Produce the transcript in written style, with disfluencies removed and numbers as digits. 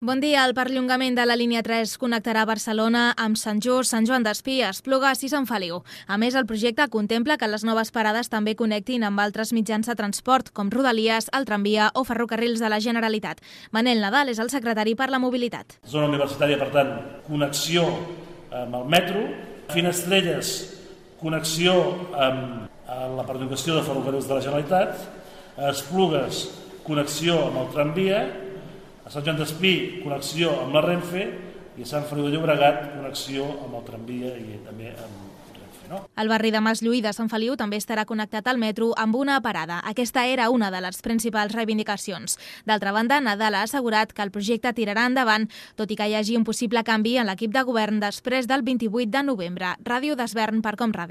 Bon dia. El perllongament de la línia 3 connectarà Barcelona amb Sant Just, Sant Joan d'Espí, Esplugues i Sant Feliu. A més, el projecte contempla que les noves parades també connectin amb altres mitjans de transport, com Rodalies, el tramvia o ferrocarrils de la Generalitat. Manel Nadal és el secretari per la mobilitat. Zona universitària, per tant, connexió amb el metro. Finestrelles, connexió amb la perllongació de ferrocarrils de la Generalitat. Esplugues, connexió amb el tramvia. A Sant Joan d'Espí, connexió amb la Renfe, i a Sant Feliu de Llobregat, connexió amb el tramvia i també amb Renfe. El barri de Maslluí de Sant Feliu també estarà connectat al metro amb una parada. Aquesta era una de les principals reivindicacions. D'altra banda, Nadal ha assegurat que el projecte tirarà endavant, tot i que hi hagi un possible canvi en l'equip de govern després del 28 de novembre. Ràdio d'Esvern per Com Ràdio.